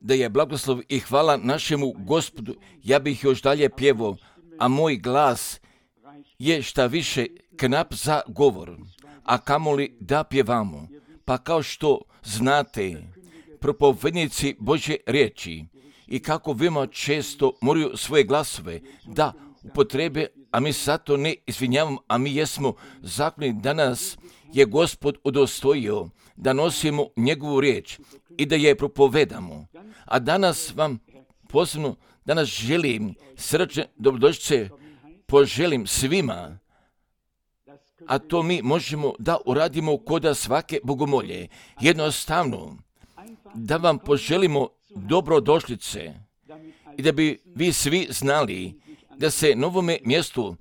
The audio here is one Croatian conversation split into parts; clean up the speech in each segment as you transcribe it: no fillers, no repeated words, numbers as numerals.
Da je blagoslov i hvala našemu Gospodu, ja bih još dalje pjevao, a moj glas je šta više knap za govor, a kamoli da pjevamo. Pa kao što znate, propovednici Božje riječi i kako veoma često moraju svoje glasove da upotrebe, a mi zato ne izvinjavamo, a mi jesmo zakoni da nas je Gospod udostojio da nosimo njegovu riječ i da je propovedamo. A danas vam posebno, danas želim srčne dobrodošlice poželim svima, a to mi možemo da uradimo kod svake bogomolje. Jednostavno, da vam poželimo dobrodošlice i da bi vi svi znali da se na ovome mjestu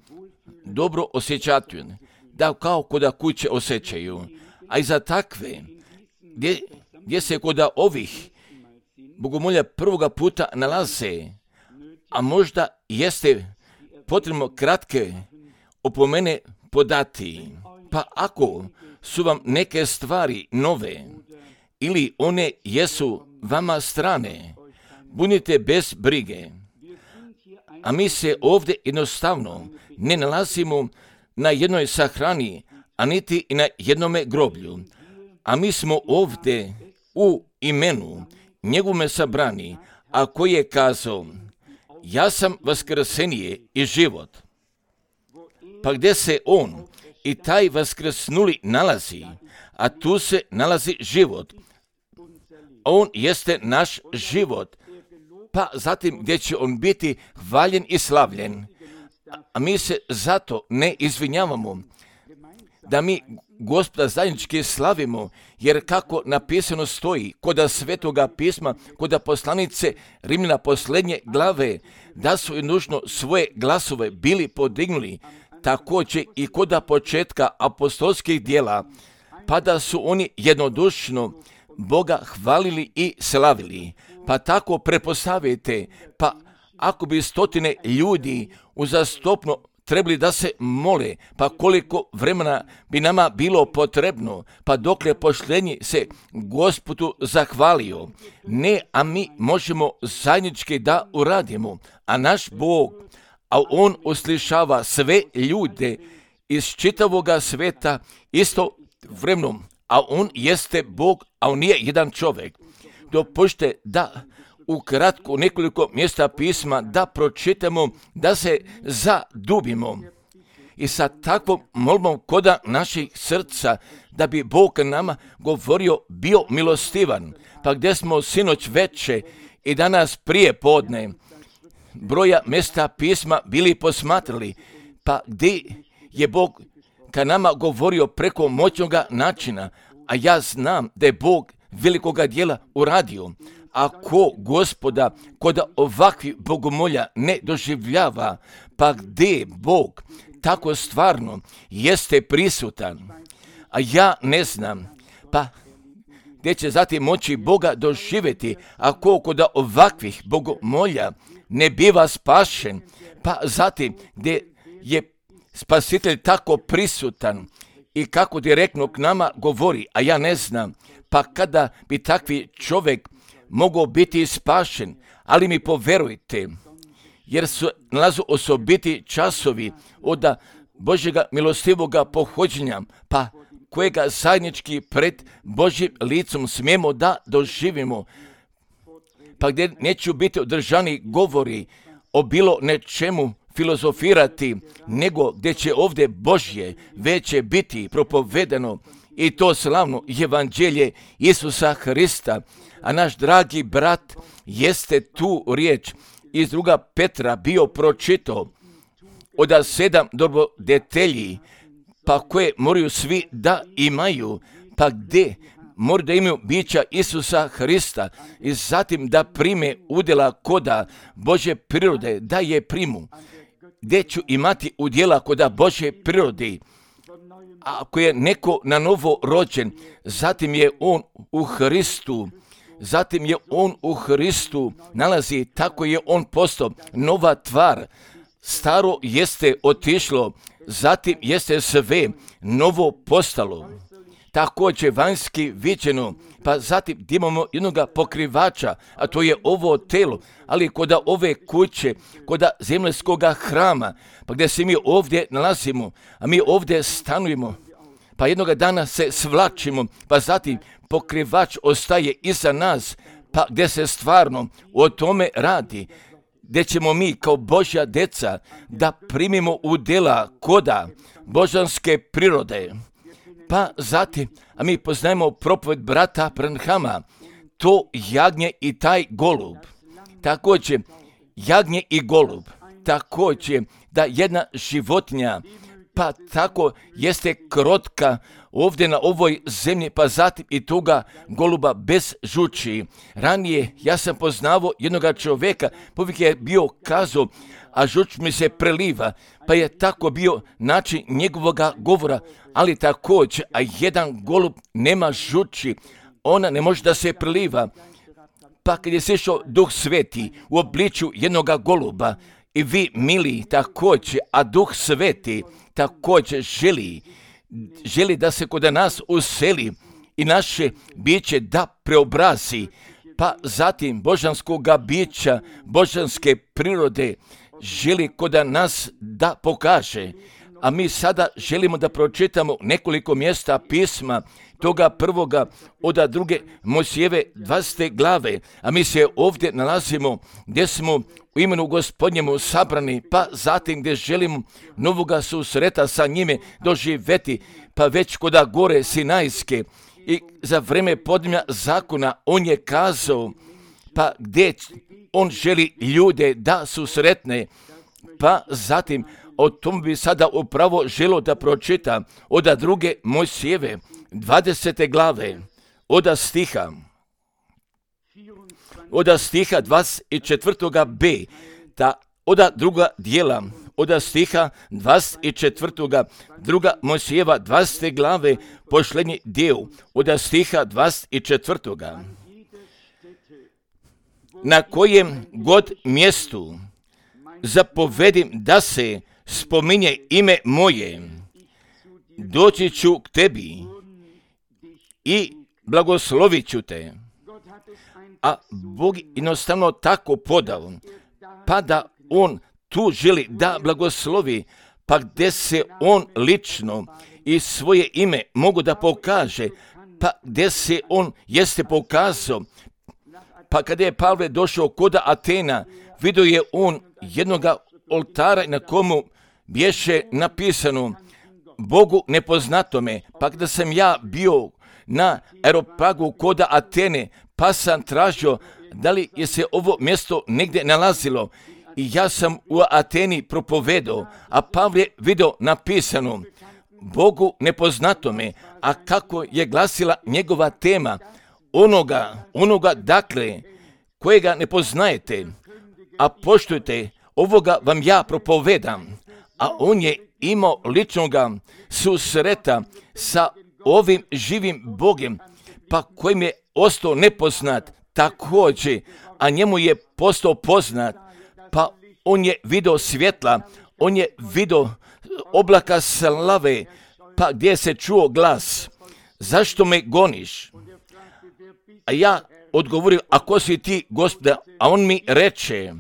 dobro osjećate, da kao kod kuće osjećaju, a i za takve, gdje se kod ovih bogomolja prvoga puta nalaze, a možda jeste potrebno kratke opomene podati. Pa ako su vam neke stvari nove ili one jesu vama strane, budite bez brige. A mi se ovdje jednostavno ne nalazimo na jednoj sahrani, a niti i na jednome groblju. A mi smo ovdje u imenu njegovome sabrani, a koji je kazao, ja sam vaskrsenije i život. Pa gdje se on i taj vaskrsnuli nalazi, a tu se nalazi život. On jeste naš život. Pa zatim gdje će on biti hvaljen i slavljen. A mi se zato ne izvinjavamo da mi Gospoda zajednički slavimo, jer kako napisano stoji kod Svetoga pisma, kod poslanice Rimljana posljednje glave, da su nužno svoje glasove bili podignuli, također i kod početka apostolskih djela, pa da su oni jednodušno Boga hvalili i slavili. Pa tako prepostavite, pa ako bi stotine ljudi uzastopno trebali da se mole, pa koliko vremena bi nama bilo potrebno, pa dokle poštenji se Gospodu zahvalio. Ne, a mi možemo zajednički da uradimo, a naš Bog, a on uslišava sve ljude iz čitavoga sveta isto vremenom, a on jeste Bog, a on nije jedan čovjek. Dopušte da ukratko nekoliko mjesta pisma da pročitamo, da se zadubimo i sa takvom molbom koda naših srca da bi Bog nama govorio bio milostivan. Pa gdje smo sinoć veče i danas prije podne broja mjesta pisma bili posmatrali, pa gdje je Bog ka nama govorio preko moćnoga načina, a ja znam da je Bog velikoga djela uradio. Ako Gospoda kod ovakvih bogomolja ne doživljava, pa gdje Bog tako stvarno jeste prisutan, a ja ne znam, pa gdje će zatim moći Boga doživjeti, ako kod ovakvih bogomolja ne biva spašen, pa zatim gdje je Spasitelj tako prisutan i kako direktno k nama govori, a ja ne znam, pa kada bi takvi čovjek mogao biti spašen, ali mi poverujte, jer su nalazu osobiti časovi od Božjega milostivoga pohođenja, pa kojega zajednički pred Božjim licom smijemo da doživimo, pa gdje neću biti održani govori o bilo nečemu filozofirati, nego gdje će ovdje Božje već će biti propovedano i to slavno evanđelje Isusa Hrista. A naš dragi brat jeste tu riječ iz 2. Petra bio pročitao od 7 dobrodetelji, pa koje moraju svi da imaju, pa gdje moraju da imaju bića Isusa Hrista i zatim da prime udjela koda Božje prirode, da je primu. Gdje ću imati udjela koda Božje prirode? Ako je neko na novo rođen, zatim je on u Hristu, nalazi, tako je on postao nova tvar. Staro jeste otišlo, zatim jeste sve novo postalo. također vanjski viđeno, pa zatim gdje imamo jednog pokrivača, a to je ovo telo, ali kod ove kuće, kod zemaljskog hrama, pa gdje se mi ovdje nalazimo, a mi ovdje stanujemo, pa jednog dana se svlačimo, pa zatim pokrivač ostaje iza nas, pa gdje se stvarno o tome radi, gdje ćemo mi kao Božja djeca da primimo u djela koda božanske prirode. Pa zatim, a mi poznajemo propoved brata Branhama, to jagnje i taj golub. Također, jagnje i golub, također da jedna životinja, pa tako jeste krotka ovdje na ovoj zemlji, pa zatim i toga goluba bez žuči. Ranije ja sam poznavao jednog čovjeka, povijek je bio kazao, a žuč mi se preliva, pa je tako bio način njegovoga govora, ali također, a jedan golub nema žuči, ona ne može da se preliva. Pa kad je sišao Duh Sveti u obličju jednoga goluba, i vi, mili, također, a Duh Sveti također želi da se kod nas useli i naše biće da preobrazi, pa zatim božanskoga bića, božanske prirode želi kod nas da pokaže. A mi sada želimo da pročitamo nekoliko mjesta pisma, toga prvoga od druge Mojsijeve 20. glave, a mi se ovdje nalazimo gdje smo u imenu Gospodnjemu sabrani, pa zatim gdje želimo novoga susreta sa njime doživjeti, pa već koda gore Sinajske i za vreme podnevlja zakona on je kazao, pa gdje on želi ljude da susretne, pa zatim o tom bi sada upravo želo da pročita od druge Mojsijeve 20. glave, od stiha 24. b, ta od druga dijela, od stiha 24. druga Mojsijeva 20. glave, posljednji dio, od stiha 24. Na kojem god mjestu zapovedim da se spominje ime moje, doći ću k tebi i blagoslovit ću te. A Bog jednostavno tako podao, pa da on tu želi da blagoslovi, pa gdje se on lično i svoje ime mogu da pokaže, pa gdje se on jeste pokazao, pa kada je Pavle došao kod Atena, vidio je on jednoga oltara na komu bješe napisano Bogu nepoznatome, pa kada sam ja bio na Areopagu kod Atene, pa sam tražio da li je se ovo mjesto negdje nalazilo i ja sam u Ateni propovedao, a Pavle vidio napisano Bogu nepoznatome, a kako je glasila njegova tema, onoga dakle kojega ne poznajete, a poštujte, ovoga vam ja propovedam, a on je imao ličnoga susreta sa ovim živim Bogem, pa kojim je ostao nepoznat također, a njemu je postao poznat, pa on je vidio svjetla, on je vidio oblaka slave, pa gdje se čuo glas, zašto me goniš? A ja odgovorio, a ko si ti, Gospoda? A on mi reče,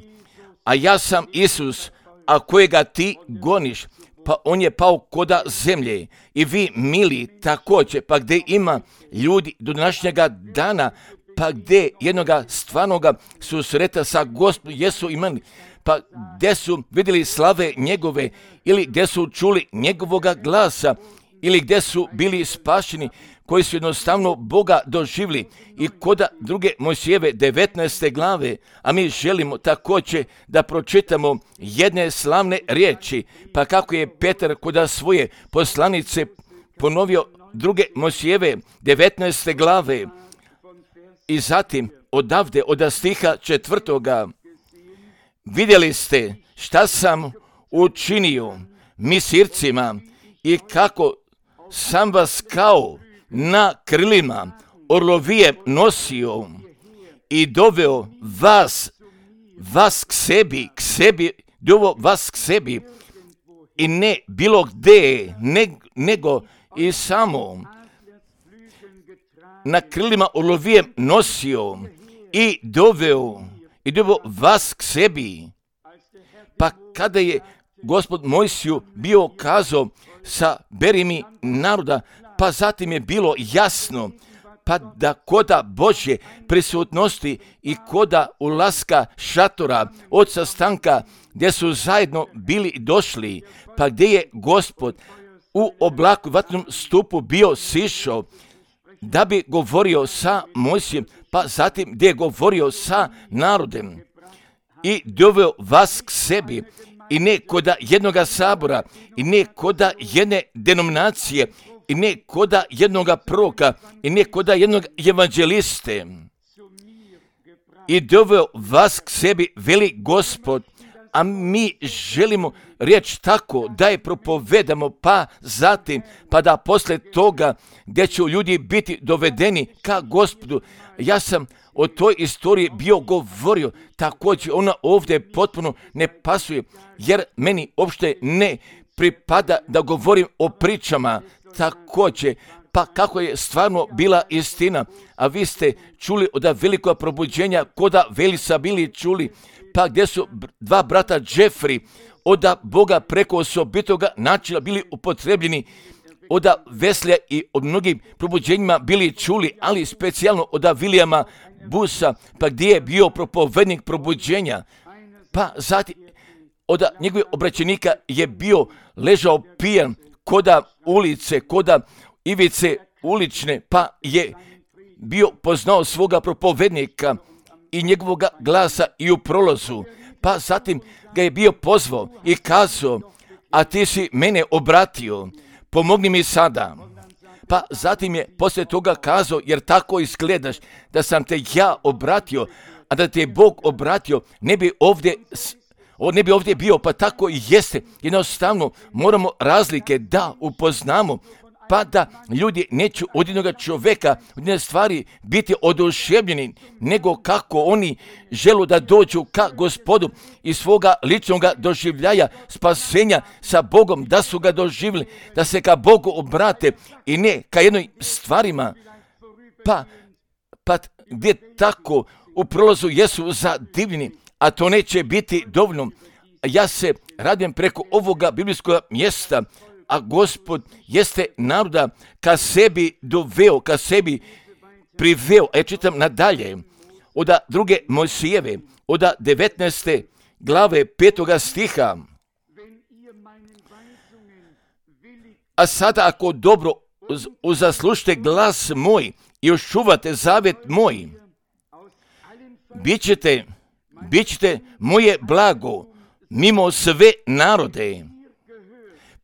a ja sam Isus, a kojega ti goniš? Pa on je pao koda zemlje. I vi, mili, također, pa gdje ima ljudi do današnjega dana, pa gdje jednoga stvarnoga susreta sa Gospodom jesu imali, pa gdje su vidjeli slave njegove, ili gdje su čuli njegovoga glasa, ili gdje su bili spašeni, koji su jednostavno Boga doživjeli, i kod druge Mojsijeve 19. glave, a mi želimo također da pročitamo jedne slavne riječi, pa kako je Petar kod svoje poslanice ponovio druge Mojsijeve 19. glave, i zatim odavde od stiha 4. vidjeli ste šta sam učinio Misircima i kako sam vas kao na krilima orlovije nosio i doveo vas k sebi, doveo vas k sebi, i ne bilo gdje, nego i samo na krilima orlovijem nosio i doveo vas k sebi. Pa kada je Gospod Mojsiju bio kazao sa beri mi naroda, pa zatim je bilo jasno pa da koda Božje prisutnosti i koda ulaska šatora od sastanka gdje su zajedno bili došli, pa gdje je Gospod u oblaku vatrenom stupu bio sišao da bi govorio sa Mojsijem, pa zatim gdje je govorio sa narodem i doveo vas k sebi, i ne koda jednoga sabora, i ne koda jedne denominacije, i ne koda jednoga proroka, i ne koda jednog evanđeliste. I doveo vas k sebi, veli Gospod, a mi želimo riječ tako da je propovedamo, pa zatim, pa da posle toga gdje će ljudi biti dovedeni ka Gospodu. Ja sam o toj istoriji bio govorio, također ona ovdje potpuno ne pasuje, jer meni uopšte ne pripada da govorim o pričama također, pa kako je stvarno bila istina. A vi ste čuli od velikog probuđenja, koda Velisa bili čuli, pa gdje su dva brata Jeffrey od Boga preko osobitoga načina bili upotrebljeni, od Veslija i od mnogim probuđenjima bili čuli, ali specijalno od Williama Busa, pa gdje je bio propovednik probuđenja, pa zatim od njegovih obraćenika je bio ležao pijan koda ulice, koda ivice ulične, pa je bio poznao svoga propovednika i njegovog glasa i u prolazu, pa zatim ga je bio pozvao i kazao, a ti si mene obratio, pomogni mi sada. Pa zatim je poslije toga kazao, jer tako izgledaš, da sam te ja obratio, a da te je Bog obratio, ne bi ovdje bio, pa tako i jeste. Jednostavno moramo razlike da upoznamo, pa da ljudi neće od jednoga čovjeka, od jedne stvari biti oduševljeni, nego kako oni žele da dođu ka Gospodu i svoga ličnog doživljaja spasenja sa Bogom, da su ga doživjeli, da se ka Bogu obrate i ne ka jednoj stvarima, pa gdje tako u prolazu jesu zadivljeni, a to neće biti dovoljno. Ja se radim preko ovoga biblijskog mjesta, a Gospod jeste naroda ka sebi doveo, ka sebi priveo. Ja čitam nadalje od druge Mojsijeve, od 19. glave 5. stiha. A sada ako dobro uzaslušite glas moj i očuvate zavet moj, bit ćete moje blago mimo sve narode,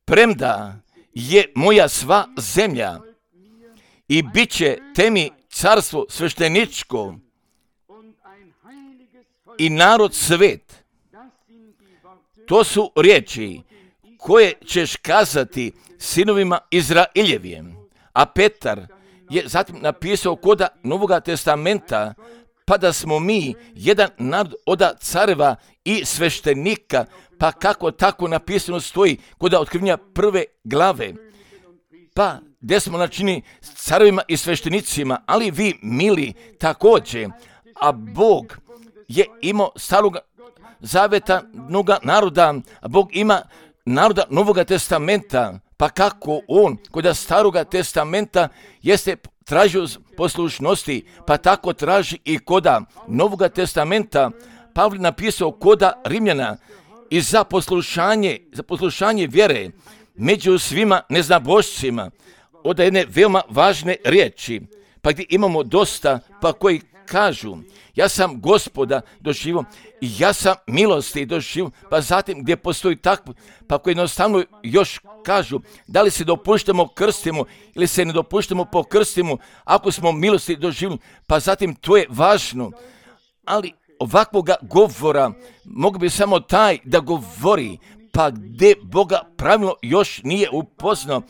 premda je moja sva zemlja, i bit će temi carstvo svešteničko i narod svet. To su riječi koje ćeš kazati sinovima Izraeljevim. A Petar je zatim napisao koda Novoga testamenta, pa da smo mi jedan narod od careva i sveštenika, pa kako tako napisano stoji kod otkrivenja 1. glave, pa gdje smo načini carevima i sveštenicima, ali vi mili također, a Bog je imao starog zaveta mnoga naroda, a Bog ima naroda Novoga testamenta, pa kako on kod staroga testamenta jeste tražio poslušnosti, pa tako traži i koda Novoga testamenta. Pavle napisao koda Rimljana i za poslušanje vjere među svima neznabošcima, od jedne veoma važne riječi, pa gdje imamo dosta, pa koji kažu, ja sam Gospoda doživio i ja sam milosti doživio, pa zatim gdje postoji takvo, pa koji jednostavno još kažu, da li se dopuštamo krstimo ili se ne dopuštamo po krstimo, ako smo milosti doživili, pa zatim to je važno, ali ovakvoga govora mogu bi samo taj da govori, pa gdje Boga pravilno još nije upoznao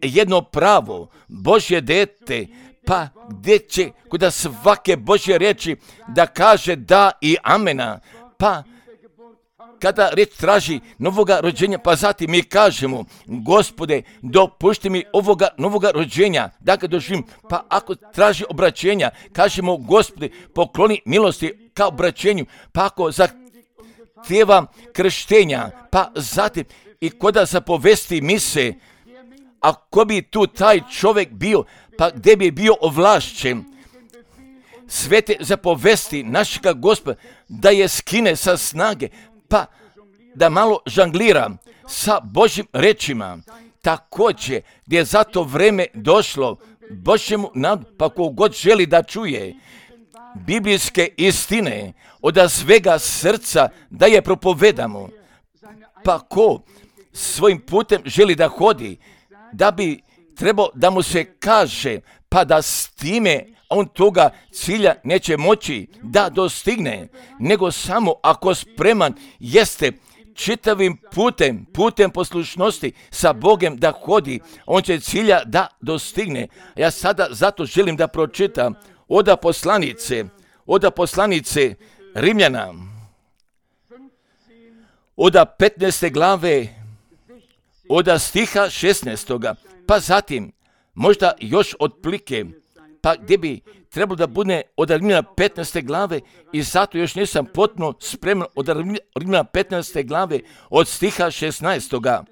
jedno pravo, Božje dete, pa gdje će kod svake Božje riječi da kaže da i amena, pa kada reč traži novoga rođenja, pa zatim mi kažemo, Gospode, dopušti mi ovoga novoga rođenja, da ga doživim. Pa ako traži obraćenja, kažemo, Gospode, pokloni milosti ka obraćenju. Pa ako zahtijeva krštenja, pa zatim i koda zapovesti mise, ako bi tu taj čovjek bio, pa gdje bi bio ovlašćen, svete zapovesti našega Gospoda, da je skine sa snage, pa da malo žanglira sa Božjim rečima. Također, gdje je za to vreme došlo Božjemu nadu, pa kogod želi da čuje biblijske istine od svega srca, da je propovedamo. Pa ko svojim putem želi da hodi, da bi trebao da mu se kaže, pa da s time on toga cilja neće moći da dostigne, nego samo ako spreman jeste čitavim putem poslušnosti sa Bogom da hodi, on će cilja da dostigne. Ja sada zato želim da pročitam od poslanice Rimljana, od 15. glave, od stiha 16. pa zatim možda još otplike, pa gdje bi trebalo da bude od Rimljana 15. glave i zato još nisam potpuno spreman od Rimljana 15. glave od stiha 16.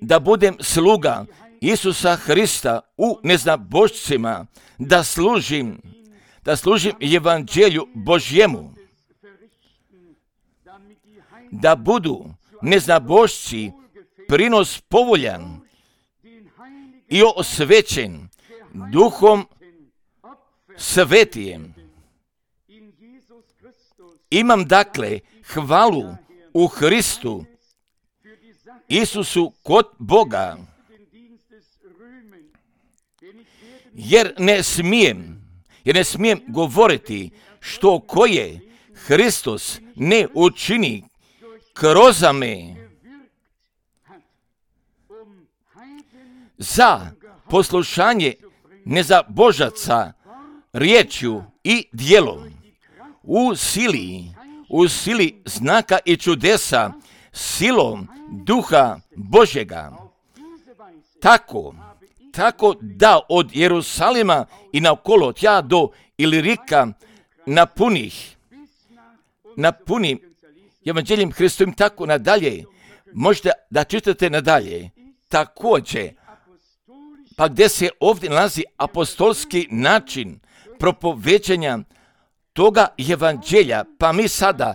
Da budem sluga Isusa Hrista u neznabošcima, da služim evanđelju Božjemu, da budu neznabošci prinos povoljan i osvećen Duhom Svetijem. Imam dakle hvalu u Hristu Isusu kod Boga, jer ne smijem govoriti što koje Hristos ne učini kroz me za poslušanje nezabožaca riječju i djelom, u sili znaka i čudesa, silom Duha Božjega. Tako da od Jerusalima i naokolo tja do Ilirika napunim evanđeljem Hristovim, tako nadalje. Možete da čitate nadalje. Također, pa gdje se ovdje nalazi apostolski način propoveđanja toga evanđelja, pa mi sada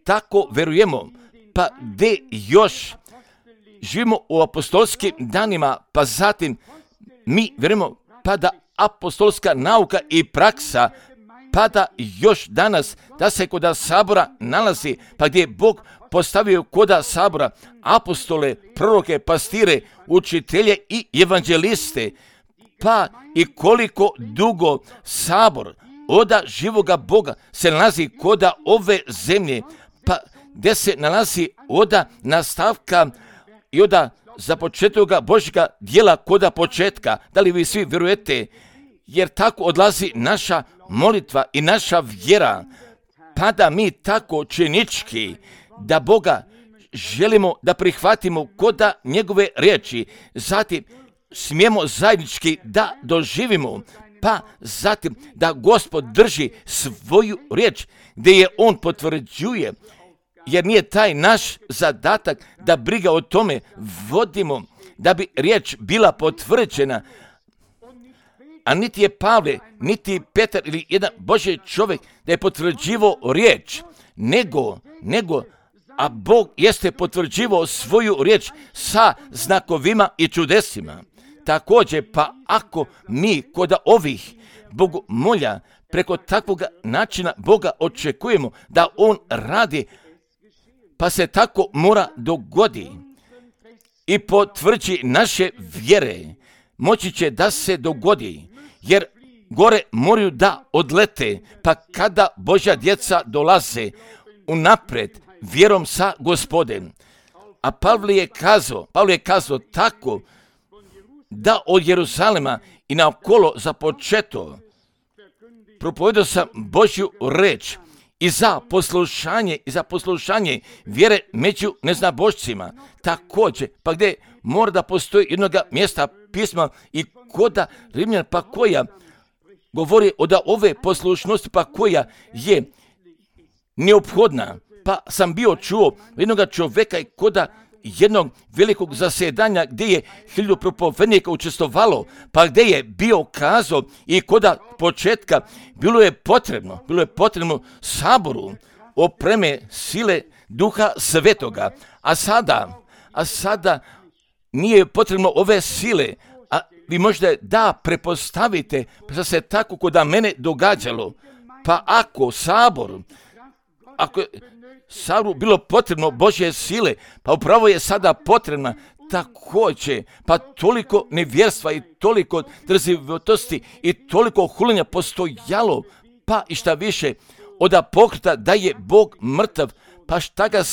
tako verujemo, pa gdje još živimo u apostolskim danima, pa zatim mi verujemo pa da apostolska nauka i praksa, pa da još danas da se kod sabora nalazi, pa gdje je Bog postavio kod sabora apostole, proroke, pastire, učitelje i evanđeliste, pa i koliko dugo sabor oda živoga Boga se nalazi koda ove zemlje, pa gdje se nalazi oda nastavka i oda započetoga Božjega djela koda početka. Da li vi svi vjerujete? Jer tako odlazi naša molitva i naša vjera, pa da mi tako činički da Boga želimo da prihvatimo koda njegove riječi, zatim smijemo zajednički da doživimo, pa zatim da Gospod drži svoju riječ gdje je on potvrđuje, jer nije taj naš zadatak da briga o tome vodimo da bi riječ bila potvrđena, a niti je Pavle, niti Petar ili jedan Božji čovjek da je potvrđivao riječ, nego a Bog jeste potvrđivao svoju riječ sa znakovima i čudesima. Također, pa ako mi kod ovih Bogu molja preko takvog načina Boga očekujemo da on radi, pa se tako mora dogodi i potvrđi naše vjere, moći će da se dogodi, jer gore moraju da odlete, pa kada Božja djeca dolaze unapred vjerom sa Gospodem. A Pavle je kazao tako da od Jeruzalema i naokolo započeto propovedao sam Božju reč i za poslušanje vjere među neznabošcima. Također, pa gdje mora da postoji jednoga mjesta pisma i koda Rimljan, pa koja govori od ove poslušnosti, pa koja je neophodna. Pa sam bio čuo jednoga čovjeka i koda jednog velikog zasjedanja gdje je 1000 propovednika učestvovalo, pa gdje je bio kazao i koda početka bilo je potrebno saboru opreme sile Duha Svetoga, a sada nije potrebno ove sile, a vi možete da prepostavite da se tako koda mene događalo, pa ako Saboru bilo potrebno Božje sile, pa upravo je sada potrebna također, pa toliko nevjerstva i toliko drzivotosti i toliko huljenja postojalo, pa i šta više, od pokreta da je Bog mrtav, pa šta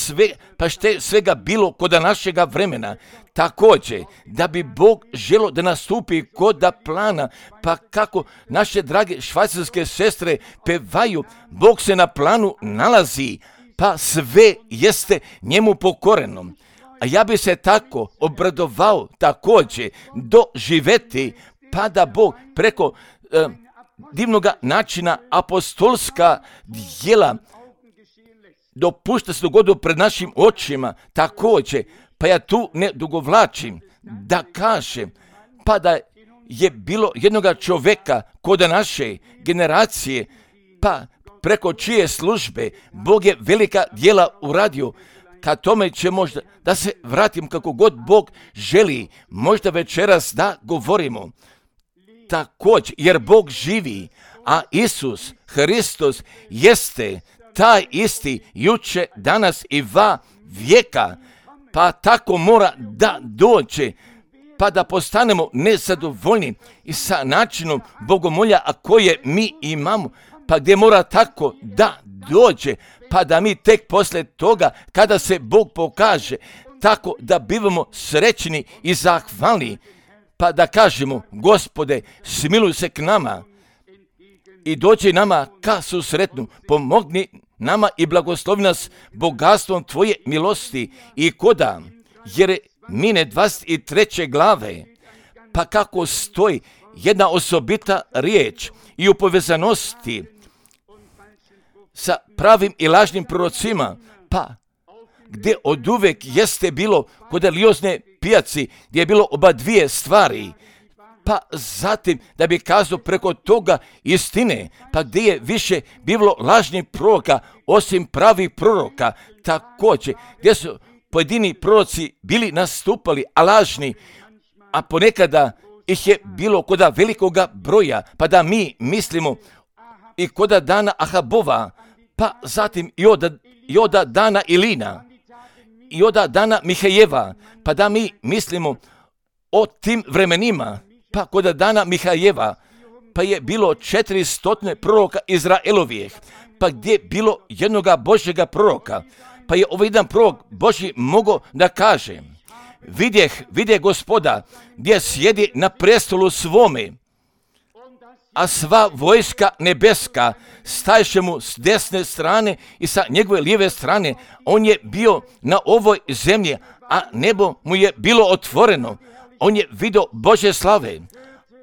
svega bilo kod našega vremena. Također, da bi Bog želo da nastupi kod plana, pa kako naše drage švajcarske sestre pevaju, Bog se na planu nalazi, pa sve jeste njemu pokoreno. A ja bi se tako obradovao također doživeti, pa da Bog preko divnoga načina apostolska djela dopušta se dogodu pred našim očima također, pa ja tu ne dugovlačim da kažem, pa da je bilo jednoga čovjeka kod naše generacije, pa preko čije službe Bog je velika djela uradio. Ka tome će možda da se vratim kako god Bog želi, možda večeras da govorimo također, jer Bog živi, a Isus Hristos jeste taj isti juče, danas i va vijeka, pa tako mora da dođe, pa da postanemo nezadovoljni i sa načinom bogomolja, a koje mi imamo, pa gdje mora tako da dođe, pa da mi tek poslije toga, kada se Bog pokaže, tako da bivamo srećni i zahvalni, pa da kažemo, Gospode, smiluj se k nama i dođi nama ka susretnu, pomogni nama i blagoslovi nas bogatstvom Tvoje milosti i koda, jer mine 23. glave, pa kako stoji jedna osobita riječ i u povezanosti sa pravim i lažnim prorocima, pa gdje od uvek jeste bilo kod religiozne pijaci, gdje je bilo oba dvije stvari, pa zatim da bi kazao preko toga istine, pa gdje je više bilo lažnih proroka osim pravih proroka, također gdje su pojedini proroci bili nastupali, a lažni, a ponekada ih je bilo koda velikoga broja, pa da mi mislimo i koda dana Ahabova, pa zatim i od dana Ilina, i od dana Mihajeva, pa da mi mislimo o tim vremenima, pa kod dana Mihajeva, pa je bilo 400 proroka Izraelovijeh, pa gdje je bilo jednoga Božjega proroka, pa je ovaj jedan prorok Božji mogao da kaže, vidje Gospoda gdje sjedi na prestolu svome, a sva vojska nebeska stajše mu s desne strane i sa njegove lijeve strane. On je bio na ovoj zemlji, a nebo mu je bilo otvoreno. On je vidio Božje slave,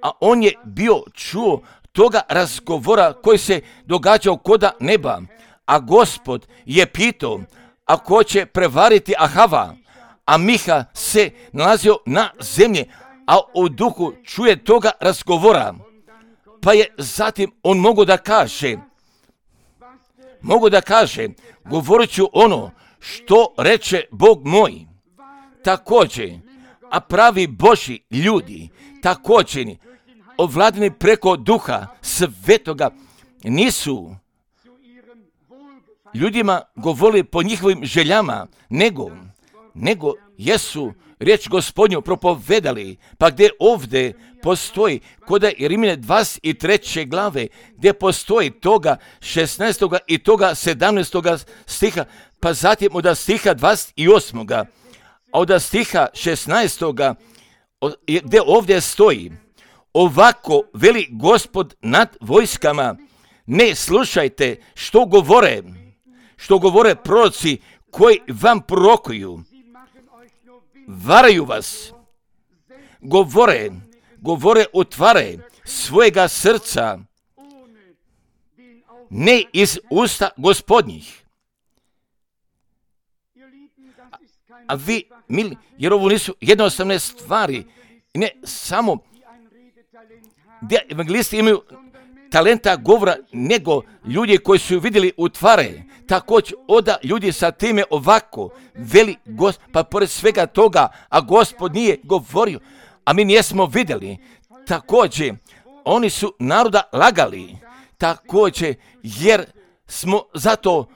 a on je bio čuo toga razgovora koji se događao koda neba. A Gospod je pitao, ako će prevariti Ahava, a Miha se nalazio na zemlji, a u duhu čuje toga razgovora. Pa je zatim on mogu da kaže, govorit ću ono što reče Bog moj. Također, a pravi Božji ljudi, također, ovladani preko Duha Svetoga, nisu ljudima govorili po njihovim željama, nego jesu riječ Gospodnju propovedali, pa gdje ovdje postoji, kod Rimljane 23. glave, gdje postoji toga 16. i toga 17. stiha, pa zatim od stiha 28. A od stiha 16. gdje ovdje stoji, ovako veli Gospod nad vojskama, Ne slušajte što govore proroci koji vam prorokuju. Varaju vas. Govore utvare svojega srca, ne iz usta Gospodnjih. A vi, mili, jer ovo nisu jednostavne stvari, ne samo gdje evangelisti imaju talenta govora, nego ljudi koji su vidjeli utvare. Također, oda ljudi sa time ovako veli pa pored svega toga, a Gospod nije govorio, a mi nismo vidjeli. Također, oni su naroda lagali. Također, jer smo zato,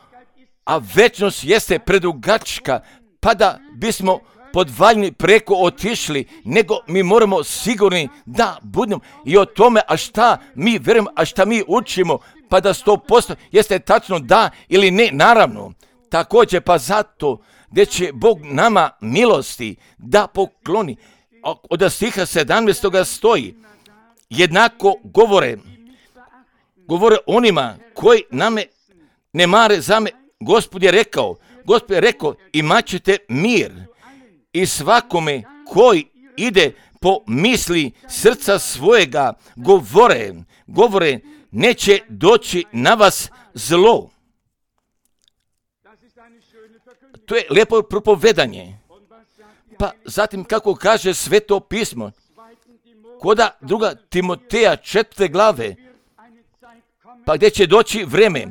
a večnost jeste predugačka, pa da bismo podvaljni preko otišli, nego mi moramo sigurni da budemo i o tome, a šta mi vjerujemo, a šta mi učimo, pa da 100% jeste tačno da ili ne, naravno. Također, pa zato gdje će Bog nama milosti da pokloni. Od stiha 17. stoji, jednako govore onima koji name ne mare za me. Gospod je rekao, imat ćete mir i svakome koji ide po misli srca svojega govore, neće doći na vas zlo. To je lijepo propovedanje. Pa zatim kako kaže Sveto pismo, koda 2. Timoteja 4. glave, pa gdje će doći vreme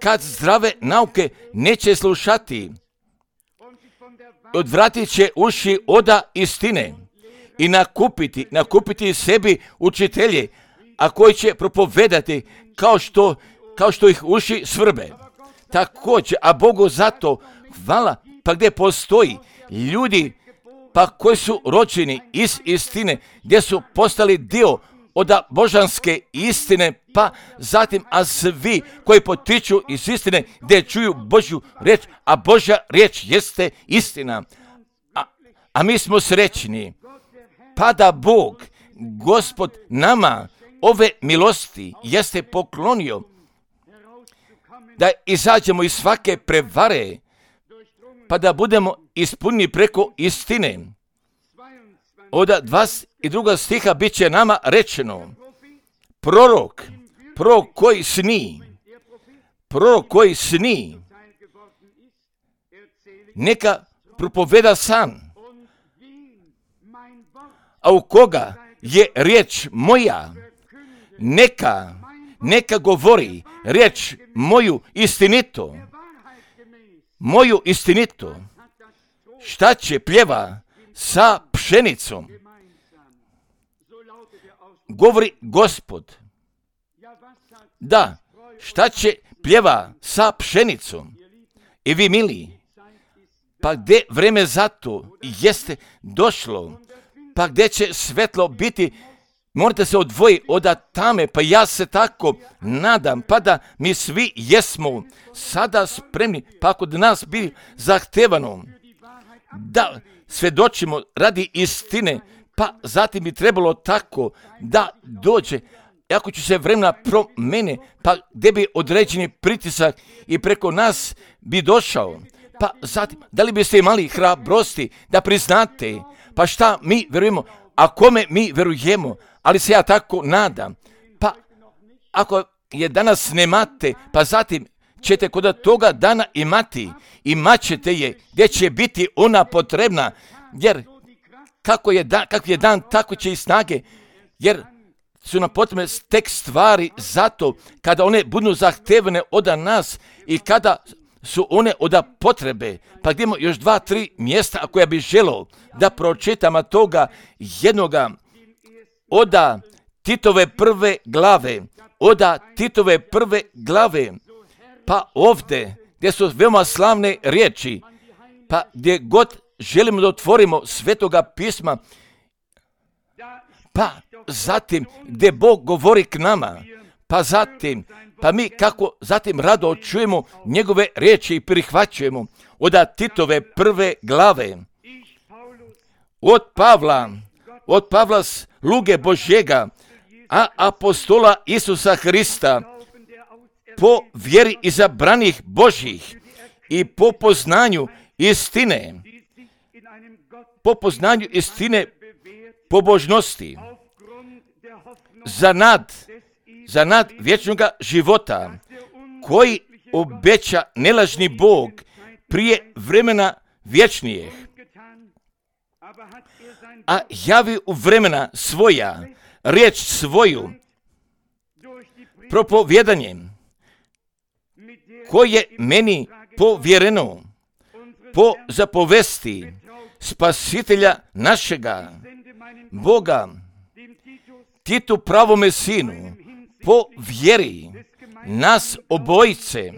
kad zdrave nauke neće slušati, odvratit će uši oda istine i nakupiti sebi učitelje, a koji će propovedati kao što ih uši svrbe. Također, a Bogu zato hvala, pa gdje postoji ljudi pa koji su rođeni iz istine, gdje su postali dio od božanske istine, pa zatim, a svi koji potiču iz istine, gdje čuju Božju riječ, a Božja riječ jeste istina. A mi smo srećni, pa da Bog, Gospod, nama ove milosti jeste poklonio, da izađemo iz svake prevare, pa da budemo ispunjeni preko istine. Od 22. stiha bit će nama rečeno, prorok koji sni, neka propoveda san, a u koga je riječ moja, neka govori riječ moju istinito, šta će pjeva sa pšenicom, govori Gospod. Da, šta će pjeva sa pšenicom? I vi, mili, pa gdje vreme za to jeste došlo, pa gdje će svetlo biti, morate se odvojiti od tame, pa ja se tako nadam, pa da mi svi jesmo sada spremni, pa kod nas bi zahtevano da svjedočimo radi istine, pa zatim bi trebalo tako da dođe, ako će se vremena promene, pa gdje bi određeni pritisak i preko nas bi došao, pa zatim, da li biste imali hrabrosti da priznate, pa šta mi verujemo, a kome mi verujemo, ali se ja tako nadam, pa ako je danas nemate, pa zatim ćete kod toga dana imat ćete je, gdje će biti ona potrebna, jer kakav je dan, tako će i snage, jer su nam potrebne tek stvari zato kada one budu zahtevane od nas i kada su one od potrebe. Pa gdje imamo još 2-3 mjesta koja bi želio da pročitamo toga jednoga od Titove prve glave, pa ovdje gdje su veoma slavne riječi, pa gdje god želimo da otvorimo Svetoga pisma, pa zatim gdje Bog govori k nama, pa mi kako zatim rado čujemo njegove riječi i prihvaćujemo od Titove prve glave. Od Pavla sluge Božjega, a apostola Isusa Hrista, po vjeri izabranih Božjih i po poznanju istine, pobožnosti, za nad vječnoga života, koji obeća nelažni Bog prije vremena vječnijeg, a javi u vremena svoja, riječ svoju, propovjedanjem, koje meni povjereno, po zapovesti Spasitelja našega, Boga, Titu pravome sinu, po vjeri nas obojice,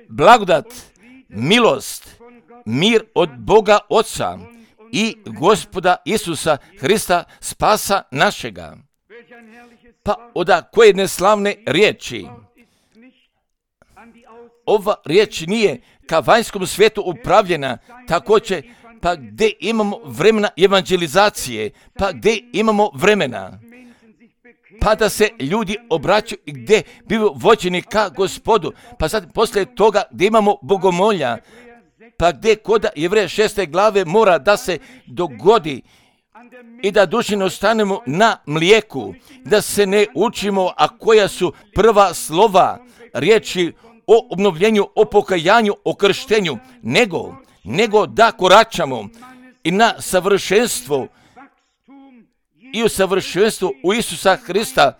blagodat, milost, mir od Boga Oca i Gospoda Isusa Hrista, spasa našega. Pa oda koje neslavne riječi. Ova riječ nije ka vanjskom svijetu upravljena, također, pa gdje imamo vremena evangelizacije, pa gdje imamo vremena, pa da se ljudi obraćaju i gdje bivaju vođeni ka Gospodu, pa sad poslije toga gdje imamo bogomolja, pa gdje kod Jevreja 6. glave mora da se dogodi i da dušino ostanemo na mlijeku, da se ne učimo, a koja su prva slova riječi o obnovljenju, o pokajanju, o krštenju, nego da koračamo i na savršenstvo i u savršenstvu u Isusa Hrista,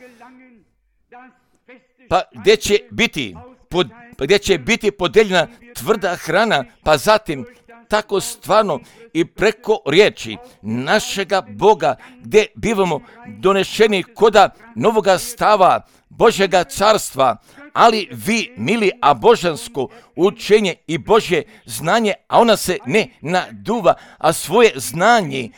pa gdje će biti podeljena tvrda hrana, pa zatim tako stvarno i preko riječi našega Boga, gdje bivamo donešeni koda novoga stava Božjega carstva, ali vi, mili, a božansko učenje i Božje znanje, a ona se ne naduva, a svoje znanje,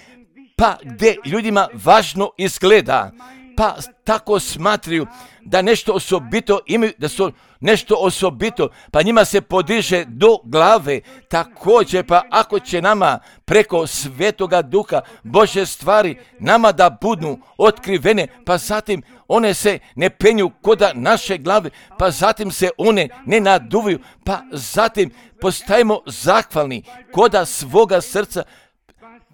pa gdje ljudima važno izgleda, pa tako smatraju da nešto osobito imaju, da su nešto osobito, pa njima se podiže do glave. Također, pa ako će nama preko Svetoga Duha Božje stvari nama da budu otkrivene, pa zatim one se ne penju koda naše glave, pa zatim se one ne naduvaju, pa zatim postajemo zahvalni koda svoga srca,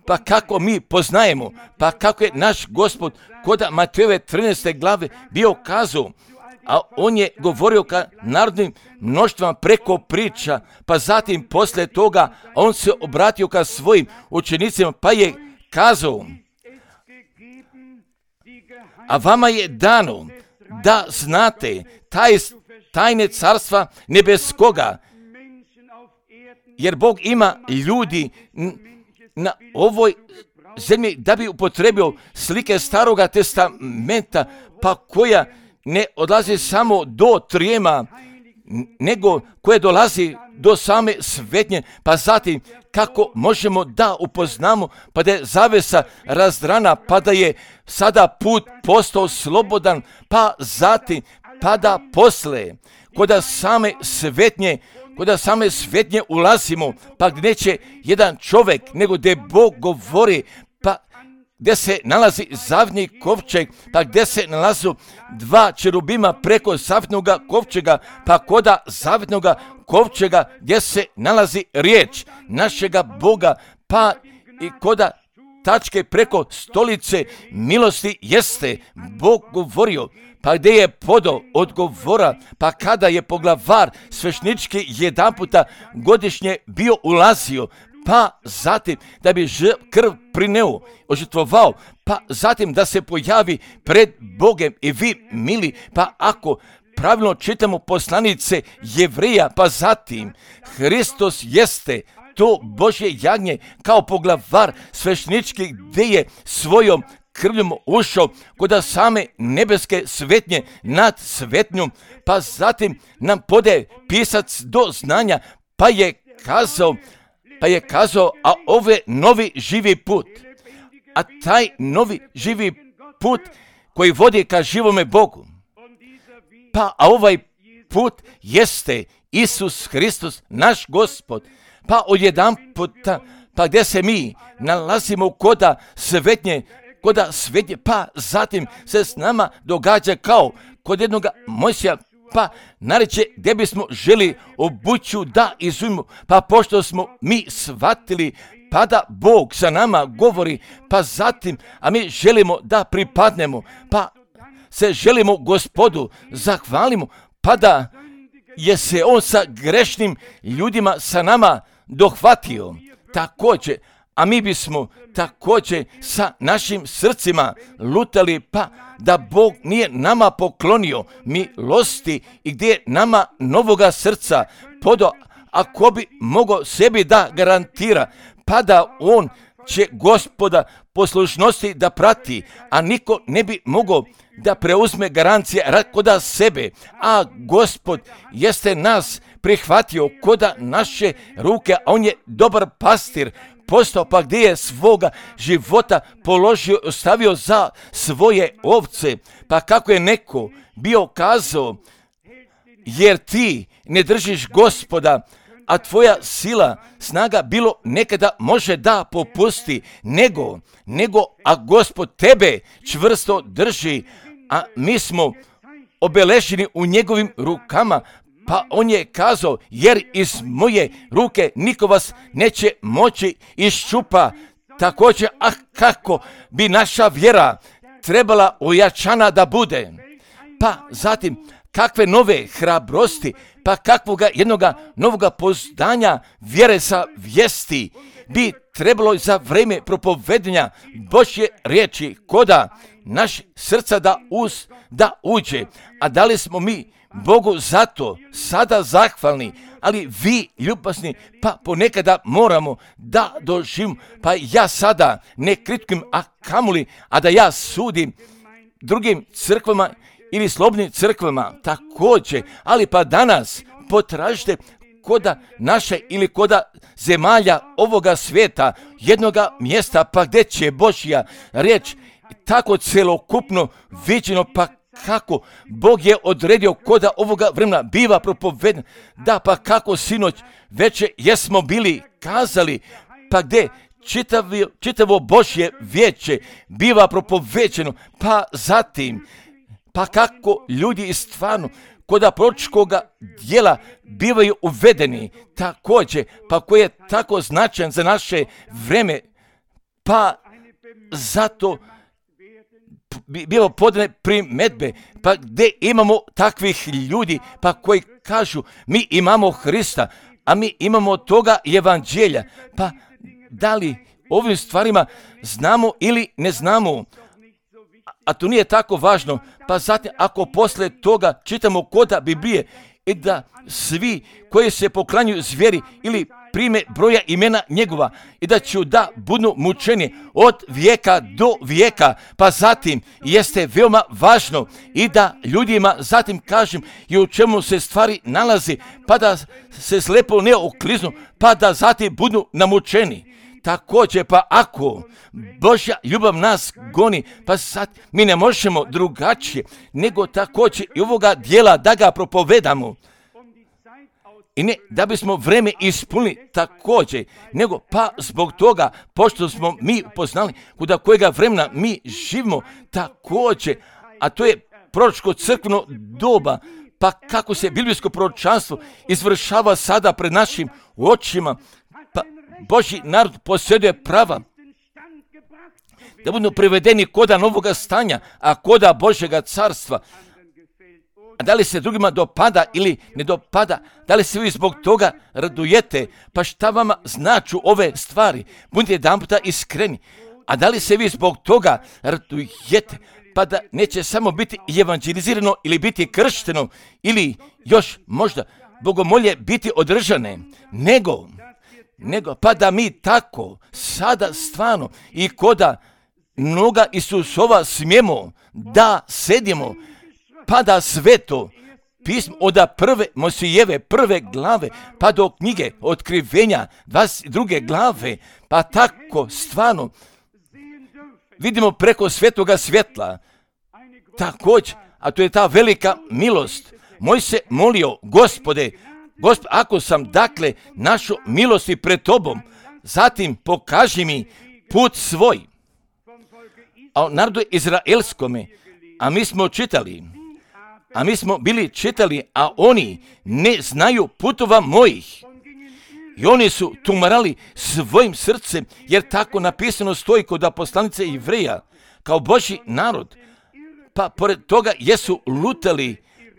pa kako mi poznajemo, pa kako je naš Gospod koda Matejove 13. glave bio kazao, a on je govorio ka narodnim mnoštvama preko priča, pa zatim poslije toga on se obratio ka svojim učenicima, pa je kazao, a vama je dano da znate tajne carstva nebeskoga, jer Bog ima ljudi na ovoj zemlji da bi upotrebio slike Staroga testamenta, pa koja ne odlazi samo do trijema, nego koje dolazi do same svetnje, pa zatim kako možemo da upoznamo, pa da je zavesa razdrana, pa da je sada put postao slobodan, pa zatim, pa da posle, koda same svetnje ulazimo, pa gdje neće jedan čovjek, nego gdje Bog govori, pa gdje se nalazi zavitni kovčeg, pa gdje se nalazu dva čerubima preko zavitnoga kovčega, pa koda zavitnoga kovčega gdje se nalazi riječ našega Boga, pa i koda tačke preko stolice milosti jeste Bog govorio, pa gdje je podo odgovora, pa kada je poglavar svešnički jedanputa godišnje bio ulazio, pa zatim da bi krv prineo, ožrtvovao, pa zatim da se pojavi pred Bogem i vi, mili, pa ako pravilno čitamo poslanice Jevreja, pa zatim Hristos jeste to Božje jagnje kao poglavar svešnički gdje je svojom krvljom ušao koda same nebeske svetnje nad svetnjom, pa zatim nam podaje pisac do znanja, pa je kazao, a ovo novi živi put, a taj novi živi put koji vodi ka živome Bogu, a ovaj put jeste Isus Hristos, naš Gospod, pa odjedanputa, pa gdje se mi nalazimo koda svetnje, pa zatim se s nama događa kod jednog Mojsija, pa nareće gdje bismo želi obuću da izujmu, pa pošto smo mi shvatili, pa da Bog sa nama govori, pa zatim, a mi želimo da pripadnemo, pa se želimo Gospodu zahvalimo, pa da je se on sa grešnim ljudima sa nama dohvatio. Također, a mi bismo također sa našim srcima lutali, pa da Bog nije nama poklonio milosti i gdje je nama novoga srca podao, ako bi mogao sebi da garantira, pa da on će Gospoda poslušnosti da prati, a niko ne bi mogao da preuzme garancije koda sebe, a Gospod jeste nas prihvatio koda naše ruke, a on je dobar pastir, postao pa gdje je svoga života položio, ostavio za svoje ovce, pa kako je neko bio kazao, jer ti ne držiš Gospoda, a tvoja sila, snaga bilo nekada može da popusti, nego a Gospod tebe čvrsto drži, a mi smo obeleženi u njegovim rukama, pa on je kazao, jer iz moje ruke niko vas neće moći iščupa. Također, kako bi naša vjera trebala ojačana da bude, pa zatim kakve nove hrabrosti, pa kakvoga jednoga novoga poznanja vjere sa vijesti bi trebalo za vrijeme propovedanja Božje riječi koda naš srca da uđe. A da li smo mi Bogu zato sada zahvalni, ali vi ljubazni, pa ponekada moramo da doživimo, pa ja sada ne kritikujem, a kamoli, a da ja sudim drugim crkvama ili slobodnim crkvama također, ali pa danas potražite koda naše ili koda zemalja ovoga svijeta, jednoga mjesta, pa gdje će Božja riječ tako celokupno viđeno, pa kako Bog je odredio koda ovoga vremena biva propovedan, da pa kako sinoć veče jesmo bili kazali, pa gdje čitavo Božje vijeće biva propoveđeno, pa zatim, pa kako ljudi i stvarno koda proročkoga dijela bivaju uvedeni također, pa koji je tako značajan za naše vreme, pa zato biva podane primedbe, pa gdje imamo takvih ljudi, pa koji kažu mi imamo Hrista, a mi imamo toga evanđelja, pa da li ovim stvarima znamo ili ne znamo, a to nije tako važno, pa zatim ako posle toga čitamo koda Biblije i da svi koji se poklanjuju zvijeri ili prime broja imena njegova i da će da budu mučeni od vijeka do vijeka, pa zatim jeste veoma važno i da ljudima zatim kažem i u čemu se stvari nalazi, pa da se slepo ne okliznu, pa da zatim budu namučeni. Također, pa ako Božja ljubav nas goni, pa sad mi ne možemo drugačije, nego također i ovoga dijela da ga propovedamo. I ne da bismo vreme ispunili također, nego pa zbog toga, pošto smo mi upoznali kuda kojega vremena mi živimo također, a to je proročko crkveno doba, pa kako se biblijsko proročanstvo izvršava sada pred našim očima, pa Božji narod posjeduje prava da budu privedeni koda novoga stanja, a koda Božjega carstva. A da li se drugima dopada ili ne dopada, da li se vi zbog toga radujete, pa šta vama značu ove stvari, budite jedan puta iskreni. A da li se vi zbog toga radujete, pa da neće samo biti evanđelizirano ili biti kršteno, ili još možda bogomolje biti održane, nego pa da mi tako sada stvarno i koda noga Isusova smijemo da sedimo, pa da sveto pismo od prve Mojsijeve prve glave pa do knjige Otkrivenja 22. glave, pa tako stvarno vidimo preko svetoga svjetla također, a to je ta velika milost. Moj se molio, Gospode, ako sam dakle našao milosti pred tobom, zatim pokaži mi put svoj. A o narodu izraelskome, a mi smo čitali, a mi smo bili čitali, a oni ne znaju putova mojih. I oni su tumarali svojim srcem, jer tako napisano stoji kod poslanice Jevreja, kao Božji narod. Pa pored toga jesu lutali,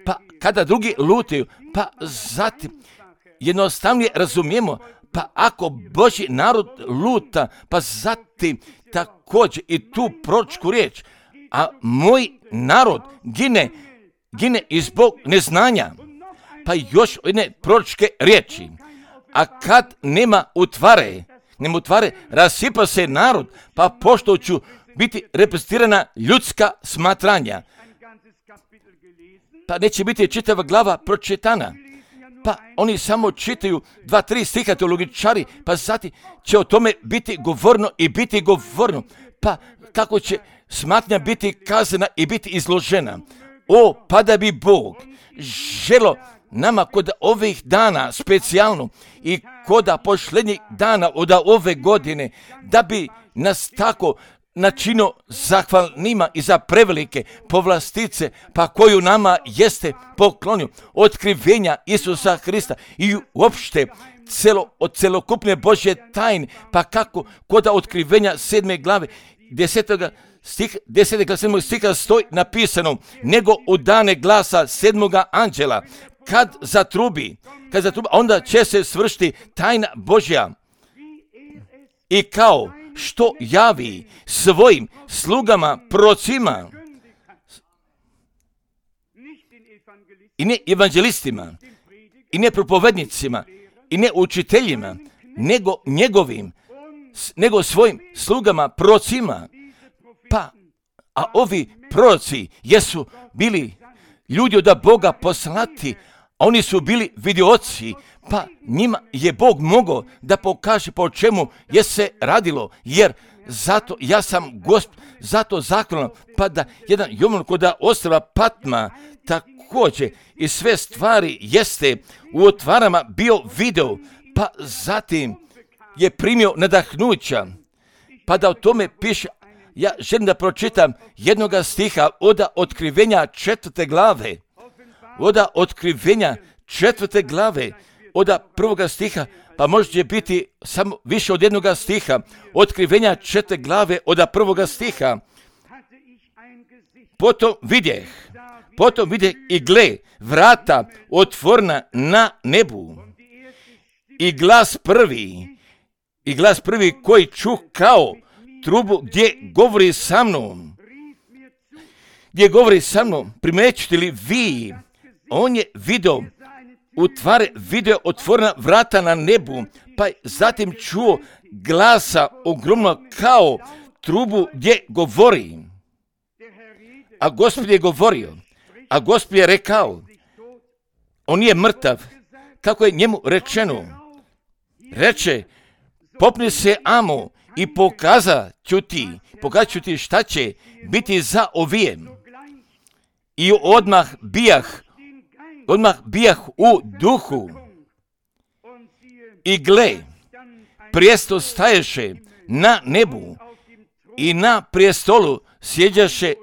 pa kada drugi lutaju, pa zatim jednostavnije razumijemo, pa ako Božji narod luta, pa zatim također i tu proročku riječ, a moj narod gine i zbog neznanja, pa još jedne proročke riječi. A kad nema utvare, rasipa se narod, pa pošto ću biti reprezentirana ljudska smatranja, pa neće biti čitava glava pročitana. Pa oni samo čitaju 2-3 stiha teologičari, pa zatim će o tome biti govorno. Pa kako će smatnja biti kazana i biti izložena. Pa da bi Bog želo nama kod ovih dana specijalno i kod posljednjih dana od ove godine, da bi nas tako načinio zahvalnima i za prevelike povlastice, pa koju nama jeste poklonio, otkrivenja Isusa Hrista i uopšte od celokupne Božje tajne, pa kako kod otkrivenja 7. glave 10. stiha stoji napisano, nego u dane glasa 7. anđela, kad zatrubi, onda će se svršiti tajna Božja. I kao što javi svojim slugama, prorocima i ne evanđelistima i ne propovednicima i ne učiteljima, nego svojim slugama, prorocima. A ovi proroci jesu bili ljudi od Boga poslati, a oni su bili vidioci, pa njima je Bog mogao da pokaže po čemu je se radilo, jer zato ja sam Gospod, zato zahvalan, pa da jedan Jovan kod ostrva Patma također i sve stvari jeste u otvarama bio video, pa zatim je primio nadahnuća, pa da o tome piše. Ja želim da pročitam jednoga stiha od otkrivenja 4. glave. Od otkrivenja 4. glave, od 1. stiha, pa može biti samo više od jednoga stiha. Otkrivenja 4. glave od 1. stiha. Potom vidjeh i gle, vrata otvorena na nebu. I glas prvi koji čuh kao trubu gdje govori sa mnom, primećete li vi, on je video otvorena vrata na nebu, pa zatim čuo glasa ogromno kao trubu gdje govori. A Gospod je govorio, a Gospod je rekao, on je mrtav, kako je njemu rečeno. Reče, popni se amo i pokazat ću ti šta će biti za ovijem. I odmah bijah u duhu. I gle, prijestol staješe na nebu i na prijestolu sjeđaše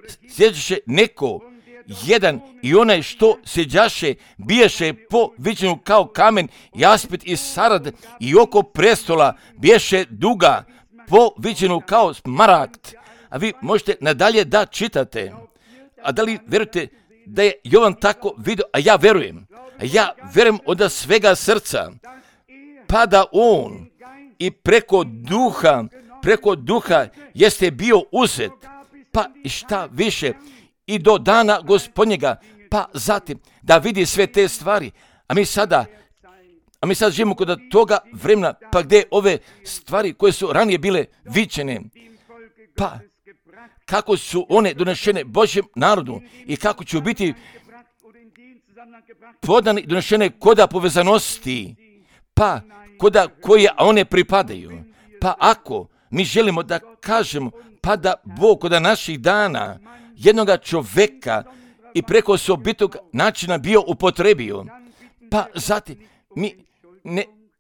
neko jedan i onaj što sjeđaše biješe po viđenju kao kamen jaspit i sarad i oko prestola biješe duga po viđenju kao smaragd. A vi možete nadalje da čitate. A da li vjerujete da je Jovan tako vidio? A ja verujem od svega srca. Pa da on i preko duha jeste bio uzet. Pa i šta više i do dana Gospodnjega, pa zatim da vidi sve te stvari. A mi sada živimo kod toga vremena, pa gdje ove stvari koje su ranije bile viđene, pa kako su one donešene Božjem narodu i kako će biti podane i donešene koda povezanosti, pa koda koje one pripadaju. Pa ako mi želimo da kažemo, pa da Bog kod naših dana jednoga čoveka i preko osobitog načina bio upotrebio, pa zatim mi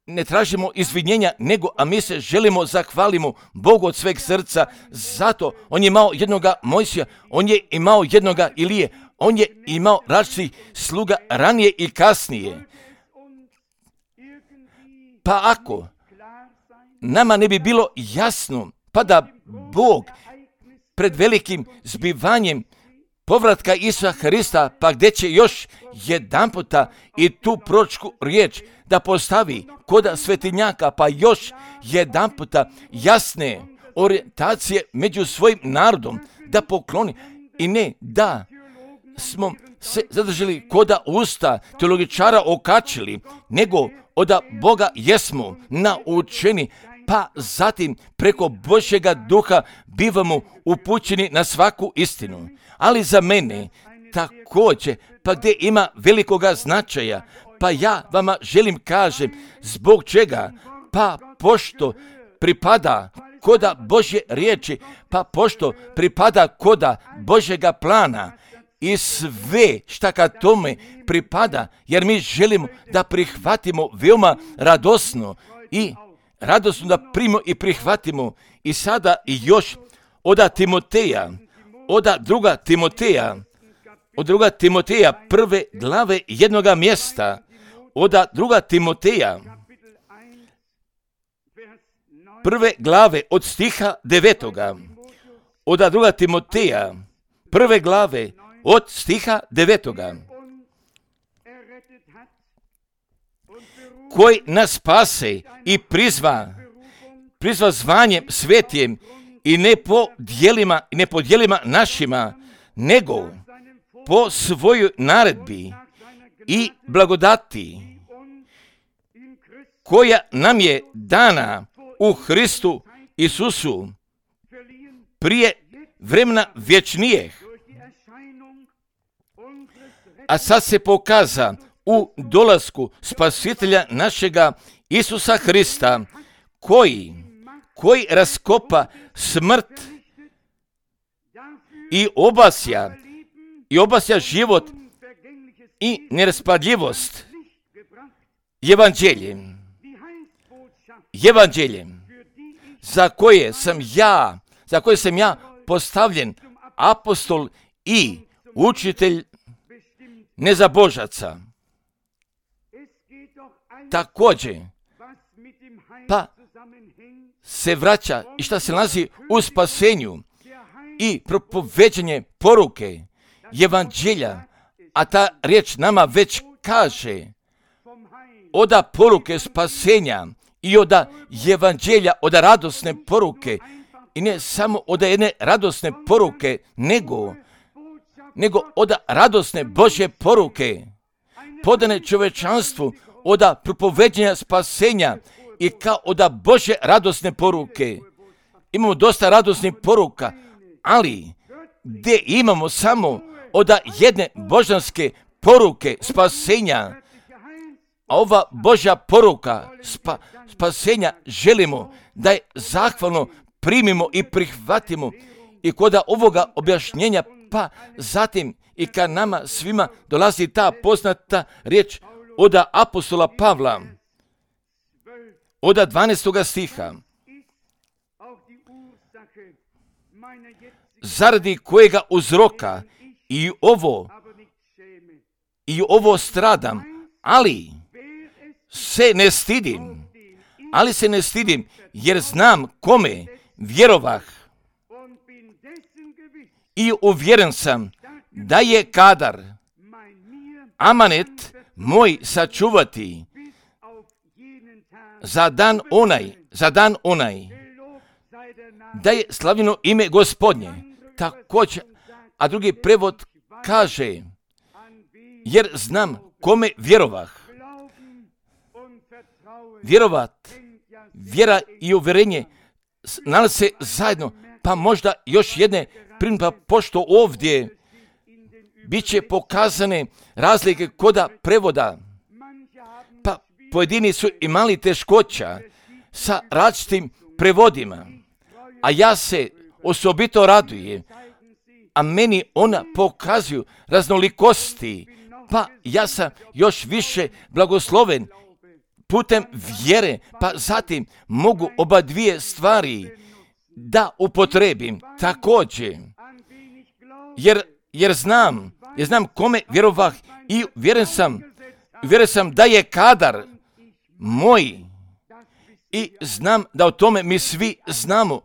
ne tražimo izvinjenja, a mi se želimo zahvalimo Bogu od sveg srca. Zato on je imao jednoga Mojsija, on je imao jednoga Ilije, On je imao različitih sluga ranije i kasnije. Pa ako nama ne bi bilo jasno, pa da Bog pred velikim zbivanjem povratka Isusa Hrista, pa gdje će još jedanputa i tu proročku riječ da postavi koda svetinjaka, pa još jedanputa jasne orijentacije među svojim narodom da pokloni, i ne da smo se zadržali koda usta teologičara okačili, nego od Boga jesmo naučeni, pa zatim preko Božjega duha bivamo upućeni na svaku istinu. Ali za mene također, pa gdje ima velikoga značaja, pa ja vama želim kažem zbog čega, pa pošto pripada koda Božje riječi, pa pošto pripada koda Božjega plana i sve šta ka tome pripada, jer mi želimo da prihvatimo veoma radosno i radosno da primimo i prihvatimo. I sada i još od Timoteja, od druga Timoteja prve glave jednoga mjesta, od druga Timoteja prve glave od stiha 9. Od druga Timoteja prve glave od stiha 9. Koji nas spase i prizva zvanjem svetijem i ne po djelima našima, nego po svojoj naredbi i blagodati koja nam je dana u Hristu Isusu prije vremena vječnijeg, a sad se pokaza u dolasku Spasitelja našega Isusa Hrista, koji raskopa smrt i obasja život i neraspadljivost evanđeljem za koje sam ja postavljen apostol i učitelj nezabožaca. Također, pa se vraća i šta se nalazi u spasenju i propoveđenje poruke evanđelja, a ta riječ nama već kaže od poruke spasenja i od evanđelja, od radosne poruke, i ne samo od jedne radosne poruke, nego od radosne Božje poruke podane čovečanstvu, od propoveđenja spasenja i kao od Božje radosne poruke. Imamo dosta radosnih poruka, ali gdje imamo samo od jedne božanske poruke spasenja, a ova Božja poruka spasenja želimo da je zahvalno primimo i prihvatimo, i kod ovoga objašnjenja, pa zatim i ka nama svima dolazi ta poznata riječ od apostola Pavla, od 12. stiha, zaradi kojega uzroka i ovo stradam, ali se ne stidim, jer znam kome vjerovah i uvjeren sam da je kadar amanet moj sačuvati za dan onaj, da je slavljeno ime Gospodnje. Također, a drugi prevod kaže, jer znam kome vjerovah. Vjerovat, vjera i uvjerenje nalaze se zajedno, pa možda još jedne primpa, pošto ovdje bit će pokazane razlike koda prevoda, pa pojedini su imali teškoća sa različitim prevodima, a ja se osobito radujem, a meni ona pokazuju raznolikosti, pa ja sam još više blagosloven putem vjere, pa zatim mogu oba dvije stvari da upotrebim također, jer znam Ja znam kome vjerovah i vjeren sam da je kadar moj i znam da o tome mi svi znamo,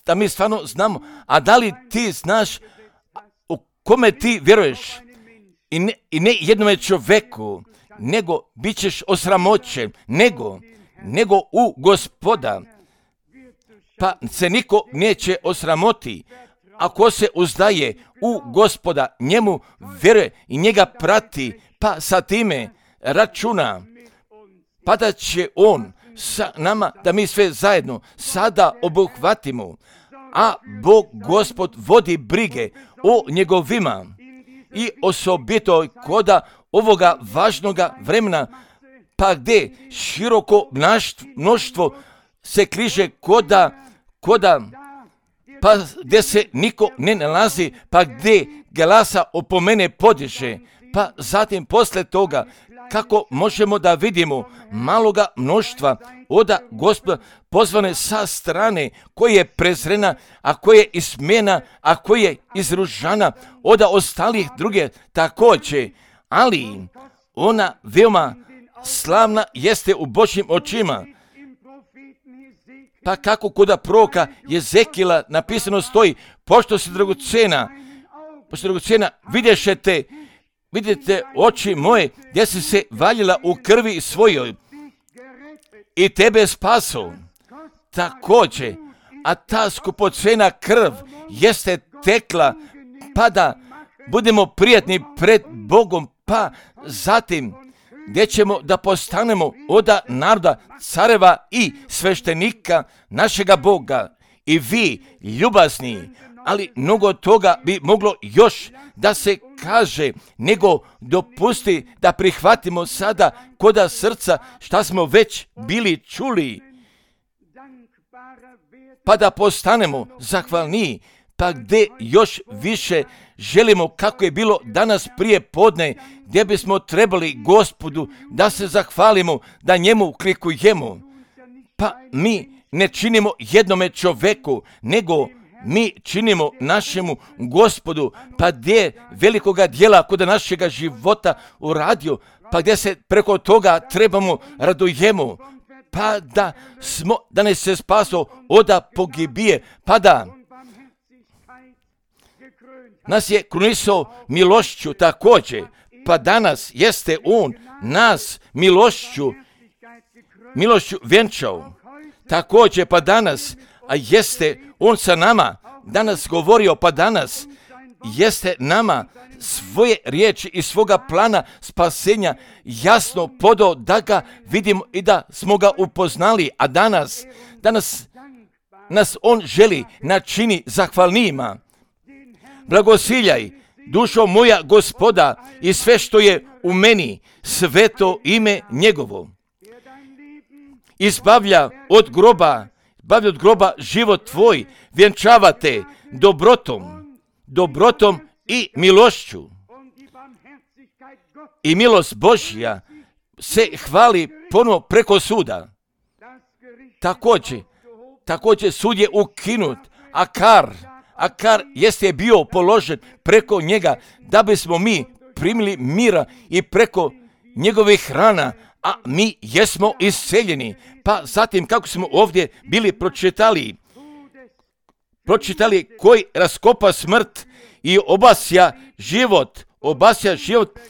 da mi stvarno znamo, a da li ti znaš u kome ti vjeruješ i ne jednome čovjeku, nego bit ćeš osramoćen, nego u Gospoda, pa se niko neće osramoti. Ako se uzdaje u Gospoda, njemu vjeruje i njega prati, pa sa time računa, pa da će on sa nama, da mi sve zajedno sada obuhvatimo, a Bog Gospod vodi brige o njegovima i osobito koda ovoga važnoga vremena, pa gdje široko mnoštvo se kliže koda, pa gdje se niko ne nalazi, pa gdje glasa opomene podiže, pa zatim posle toga kako možemo da vidimo maloga mnoštva oda Gospoda pozvane sa strane, koje je prezrena, a koje je ismena, a koje je izružana oda ostalih druge također, ali ona veoma slavna jeste u Božjim očima. Pa kako kod proroka Jezekila napisano stoji, pošto si dragocena, vidite oči moje, gdje si se valjila u krvi svojoj i tebe spaso. Također, a ta skupocena krv jeste tekla, pa da budemo prijatni pred Bogom, pa zatim gdje ćemo da postanemo oda naroda, careva i sveštenika našega Boga. I vi, ljubazni, ali mnogo toga bi moglo još da se kaže, nego dopusti da prihvatimo sada koda srca šta smo već bili čuli, pa da postanemo zahvalni, pa gdje još više želimo kako je bilo danas prije podne, gdje bismo trebali Gospodu da se zahvalimo, da njemu klikujemo. Pa mi ne činimo jednome čoveku, nego mi činimo našemu Gospodu, pa gdje velikoga dijela kod našega života uradio, pa gdje se preko toga trebamo radujemo, pa da ne se spaso oda pogibije, pa da nas je krunisao milošću također, pa danas jeste on nas milošću vjenčao. Također, pa danas, a jeste on sa nama danas govorio, pa danas jeste nama svoje riječi i svoga plana spasenja jasno podao da ga vidimo i da smo ga upoznali, a danas nas on želi načini zahvalnijima. Blagosiljaj, dušo moja Gospoda, i sve što je u meni, sveto ime njegovo. Izbavlja od groba život tvoj, vjenčavate dobrotom i milošću. I milost Božja se hvali ponovo preko suda. Također sud je ukinut, Akar jeste bio položen preko njega, da bismo mi primili mira i preko njegovih rana, a mi jesmo isceljeni. Pa zatim kako smo ovdje bili pročitali koji raskopa smrt i obasja život,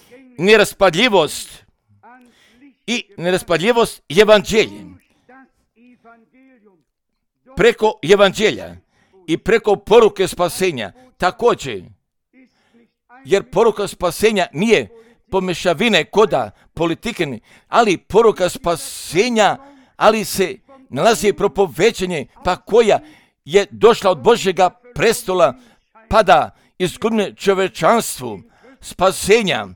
neraspadljivost evanđeljem. Preko evanđelja i preko poruke spasenja također, jer poruka spasenja nije pomešavine koda politike, ali poruka spasenja, ali se nalazi propoveđenje, pa koja je došla od Božjega prestola, pa da izgubne čovečanstvu spasenja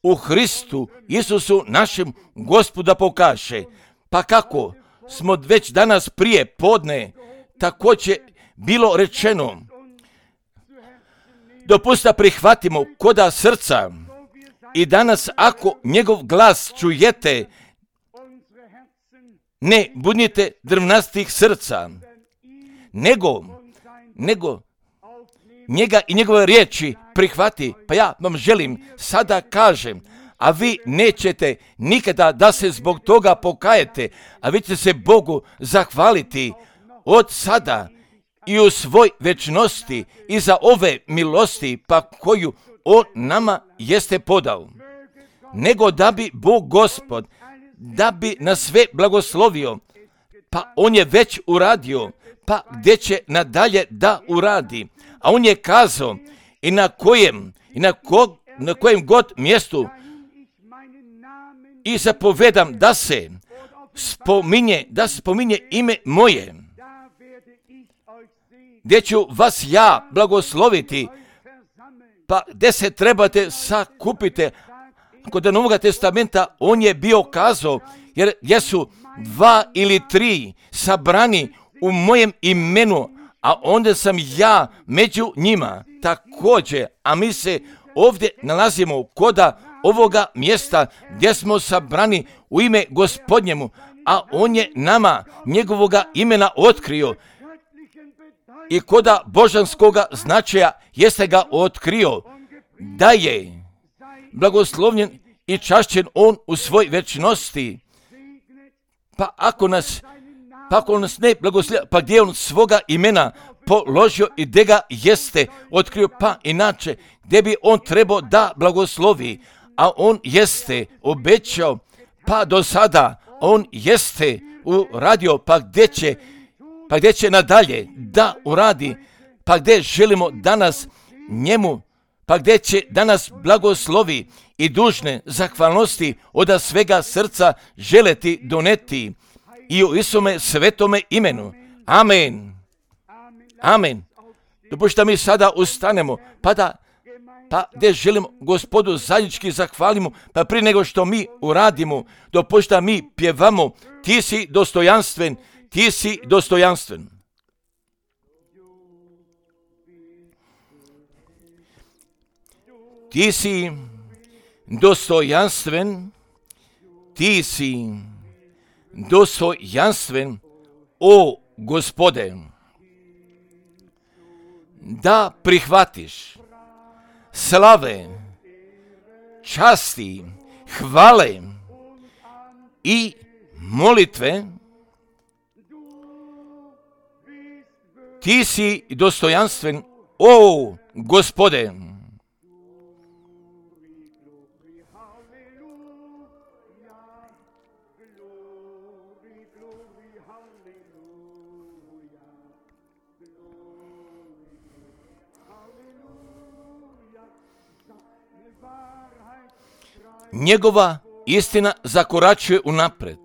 u Hristu Isusu našem Gospoda pokaže. Pa kako smo već danas prije podne također bilo rečeno, dopusta prihvatimo koda srca i danas ako njegov glas čujete, ne budite drvnastih srca, nego njega i njegove riječi prihvati. Pa ja vam želim sada kažem, a vi nećete nikada da se zbog toga pokajete, a vi ćete se Bogu zahvaliti od sada i u svoj večnosti i za ove milosti pa koju on nama jeste podao. Nego da bi Bog Gospod, da bi nas sve blagoslovio, pa on je već uradio, pa gdje će nadalje da uradi. A on je kazao i na kojem god mjestu i zapovedam da se spominje ime moje, gdje ću vas ja blagosloviti, pa gdje se trebate sakupiti. Kod Novog testamenta on je bio kazao, jer jesu 2 ili 3 sabrani u mojem imenu, a onda sam ja među njima također. A mi se ovdje nalazimo koda ovoga mjesta gdje smo sabrani u ime Gospodnjemu, a on je nama njegovoga imena otkrio. I koda božanskoga značaja jeste ga otkrio, da je blagoslovljen i čašćen on u svoj večnosti. Pa ako nas ne blagoslovlja, pa gdje on svoga imena položio i gdje ga jeste otkrio, pa inače gdje bi on trebao da blagoslovi, a on jeste obećao, pa do sada on jeste uradio, pa gdje će nadalje da uradi, pa gdje želimo danas njemu, pa gdje će danas blagoslovi i dužne zahvalnosti od svega srca želeti doneti i u Isome svetome imenu. Amen. Amen. Dopušta mi sada ustanemo, pa gdje želimo Gospodu zajednički zahvalimo, pa prije nego što mi uradimo, dopušta mi pjevamo, ti si dostojanstven, ti si dostojanstven. Ti si dostojanstven, ti si dostojanstven, o Gospode, da prihvatiš slave, časti, hvale i molitve. Ti si dostojanstven, o Gospode. Njegova istina zakoračuje unapred.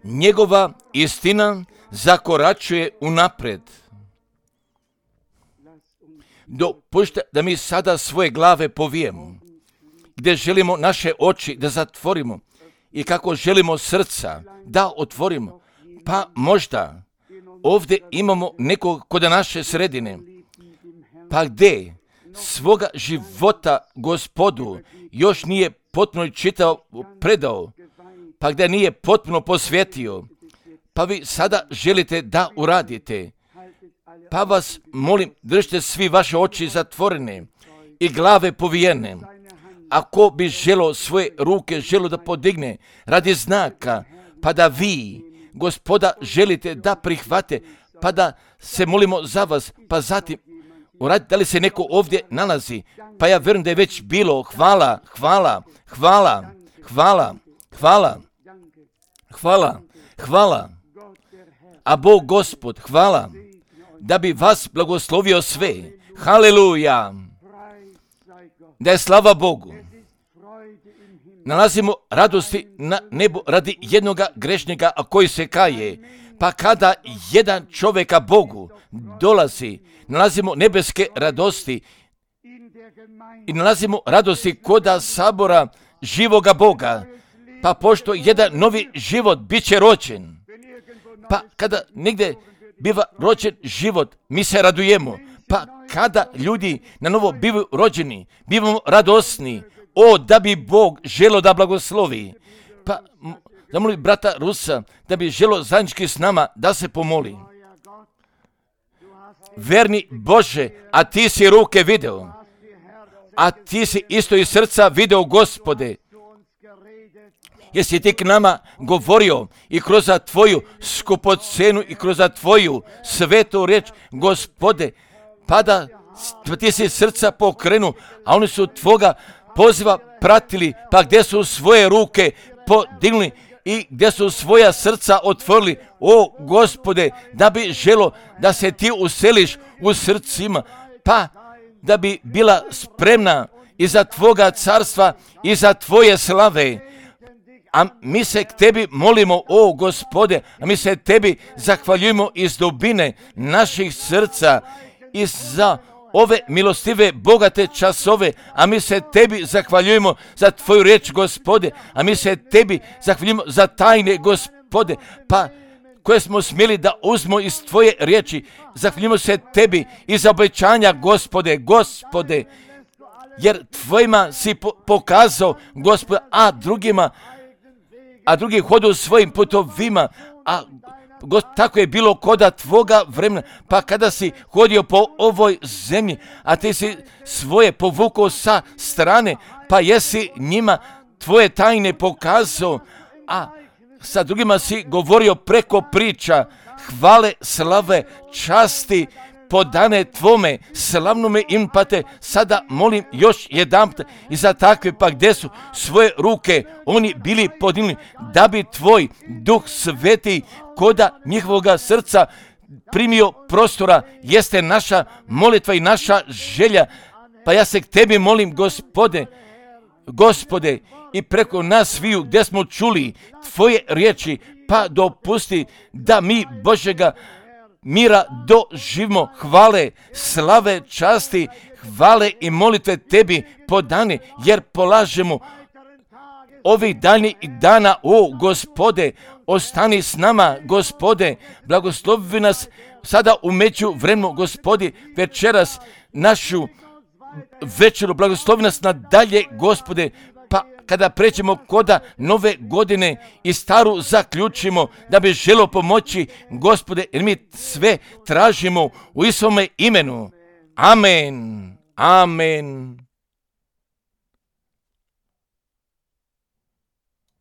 Njegova istina zakoračuje unapred. Dopustite da mi sada svoje glave povijemo, gdje želimo naše oči da zatvorimo i kako želimo srca da otvorimo. Pa možda ovdje imamo nekog kod naše sredine, pa gdje svoga života Gospodu još nije potpuno čitao, predao, pa gdje nije potpuno posvetio, pa vi sada želite da uradite. Pa vas molim, držite svi vaše oči zatvorene i glave povijene. Ako bi želo svoje ruke da podigne radi znaka, pa da vi, Gospoda, želite da prihvate, pa da se molimo za vas, pa zatim uradite, da li se neko ovdje nalazi, pa ja vjerujem da je već bilo. Hvala, hvala, hvala, hvala, hvala, hvala, hvala. A Bog Gospod, hvala, da bi vas blagoslovio sve. Haleluja. Da je slava Bogu. Nalazimo radosti na nebu radi jednoga grešnika, a koji se kaje. Pa kada jedan čovjeka Bogu dolazi, nalazimo nebeske radosti i nalazimo radosti koda sabora živoga Boga. Pa pošto jedan novi život bit će rođen, pa kada negdje biva rođen život, mi se radujemo. Pa kada ljudi na novo bivaju rođeni, bivamo radosni, da bi Bog želo da blagoslovi. Pa zamoli brata Rusa da bi želo zajednički s nama da se pomoli. Verni Bože, a ti si ruke video, a ti si isto iz srca video, Gospode. Jesi ti k nama govorio i kroz tvoju skupocenu i kroz tvoju svetu riječ, Gospode, pa da ti si srca pokrenu, a oni su tvoga poziva pratili, pa gdje su svoje ruke podignuli i gdje su svoja srca otvorili, Gospode, da bi želo da se ti useliš u srcima, pa da bi bila spremna i za tvoga carstva i za tvoje slave. A mi se k tebi molimo, Gospode, a mi se tebi zahvaljujemo iz dubine naših srca i za ove milostive, bogate časove, a mi se tebi zahvaljujemo za tvoju riječ, Gospode, a mi se tebi zahvaljujemo za tajne, Gospode, pa koje smo smjeli da uzmo iz tvoje riječi. Zahvaljujemo se tebi i za obećanja, Gospode, jer tvojima si pokazao, Gospode, a drugi hodu svojim putovima, tako je bilo koda tvoga vremena, pa kada si hodio po ovoj zemlji, a ti si svoje povukao sa strane, pa jesi njima tvoje tajne pokazao, a sa drugima si govorio preko priča, hvale, slave, časti, podane tvome slavnome im, pa te sada molim još jedanput i za takve, pa gdje su svoje ruke oni bili podigli, da bi tvoj Duh Sveti koda njihovoga srca primio prostora, jeste naša molitva i naša želja. Pa ja se k tebi molim, Gospode, i preko nas sviju gdje smo čuli tvoje riječi, pa dopusti da mi Božega mira doživimo, hvale, slave, časti, hvale i molitve tebi podane, jer polažemo ovih daljnjih dana, Gospode, ostani s nama, Gospode, blagoslovi nas sada u međuvremenu, Gospodi, večeras našu večeru, blagoslovi nas nadalje, Gospode, pa kada pređemo koda nove godine i staru zaključimo, da bi želo pomoći, Gospode, jer mi sve tražimo u Isovome imenu. Amen. Amen.